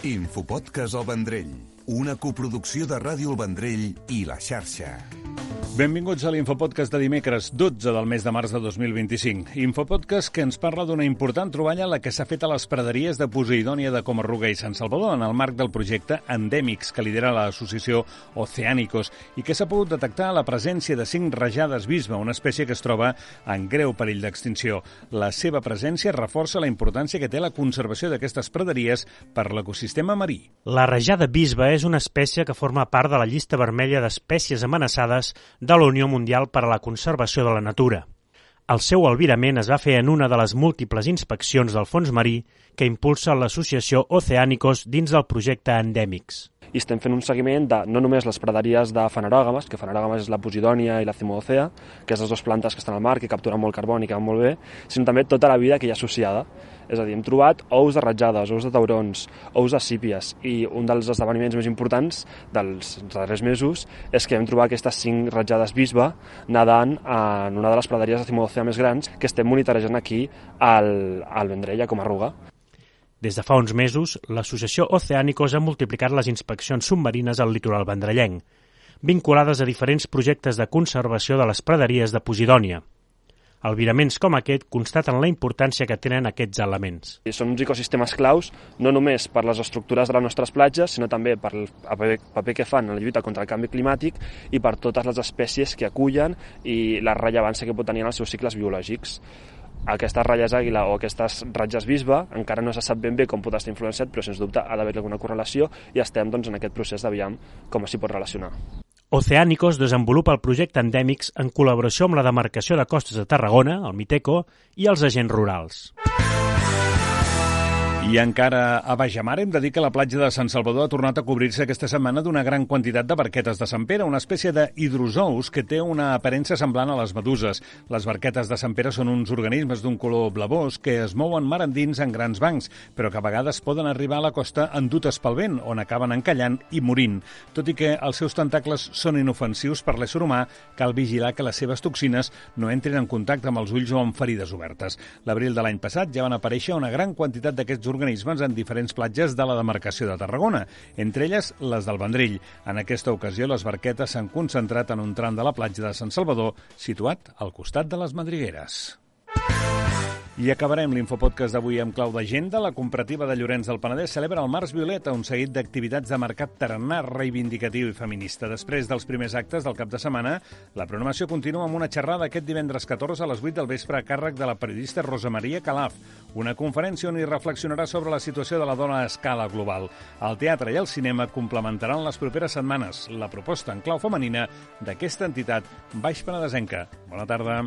Infopodcast El Vendrell, una coproducció de Ràdio El Vendrell i La Xarxa. Benvinguts a l'Infopodcast de dimecres 12 del mes de març de 2025. Infopodcast que ens parla d'una important troballa la que s'ha fet a les praderies de Posidònia de Coma-ruga i Sant Salvador en el marc del projecte Endèmics que lidera l'associació Oceánicos i que s'ha pogut detectar la presència de 5 rajades bisbe, una espècie que es troba en greu perill d'extinció. La seva presència reforça la importància que té la conservació d'aquestes praderies per l'ecosistema marí. La rajada bisbe és una espècie que forma part de la llista vermella d'espècies amenaçades de la Unió Mundial per a la Conservació de la Natura. El seu albirament es va fer en una de les múltiples inspeccions del fons marí que impulsa l'associació Oceánicos dins del projecte Endèmics. I estem fent un seguiment de no només les praderies de fanerògames, que fanerògames és la Posidònia i la Cimodocea, que és les dues plantes que estan al mar, que capturen molt carboni, que van molt bé, sinó també tota la vida que hi ha associada. És a dir, hem trobat ous de ratjades, ous de taurons, ous de sípies, i un dels esdeveniments més importants dels darrers mesos és que hem trobat aquestes 5 ratjades bisbe nedant en una de les praderies de Cimodocea més grans que estem monitorejant aquí al Vendrell, a Coma-ruga. Des de fa uns mesos, l'associació Oceánicos ha multiplicat les inspeccions submarines al litoral vendrellenc, vinculades a diferents projectes de conservació de les praderies de Posidònia. Albiraments com aquest constaten la importància que tenen aquests elements. Són uns ecosistemes claus, no només per les estructures de les nostres platges, sinó també per el paper que fan en la lluita contra el canvi climàtic i per totes les espècies que acullen i la rellevància que pot tenir en els seus cicles biològics. Aquestes ratlles àguila o aquestes ratlles bisbe encara no se sap ben bé com pot estar influenciat, però sens dubte ha d'haver alguna correlació i estem en aquest procés d'aviam com s'hi pot relacionar. Oceánicos desenvolupa el projecte Endèmics en col·laboració amb la demarcació de Costes de Tarragona, el Miteco, i els agents rurals. I encara a Bajamar hem de dir que la platja de Sant Salvador ha tornat a cobrir-se aquesta setmana d'una gran quantitat de barquetes de Sant Pere, una espècie de hidrozous que té una aparença semblant a les meduses. Les barquetes de Sant Pere són uns organismes d'un color blavós que es mouen mar endins en grans bancs, però que a vegades poden arribar a la costa endutes pel vent, on acaben encallant i morint. Tot i que els seus tentacles són inofensius per l'ésser humà, cal vigilar que les seves toxines no entrin en contacte amb els ulls o amb ferides obertes. L'abril de l'any passat ja van aparèixer una gran quantitat d'aquests organismes en diferents platges de la demarcació de Tarragona, entre elles les del Vendrell. En aquesta ocasió, les barquetes s'han concentrat en un tram de la platja de Sant Salvador, situat al costat de les Madrigueres. I acabarem l'Infopodcast d'avui amb clau d'agenda. La cooperativa de Llorenç del Penedès celebra el Març Violeta, un seguit d'activitats de mercat tarannà reivindicatiu i feminista. Després dels primers actes del cap de setmana, la programació continua amb una xerrada aquest divendres 14 a les 8 del vespre a càrrec de la periodista Rosa Maria Calaf, una conferència on hi reflexionarà sobre la situació de la dona a escala global. El teatre i el cinema complementaran les properes setmanes la proposta en clau femenina d'aquesta entitat baix penedesenca. Bona tarda.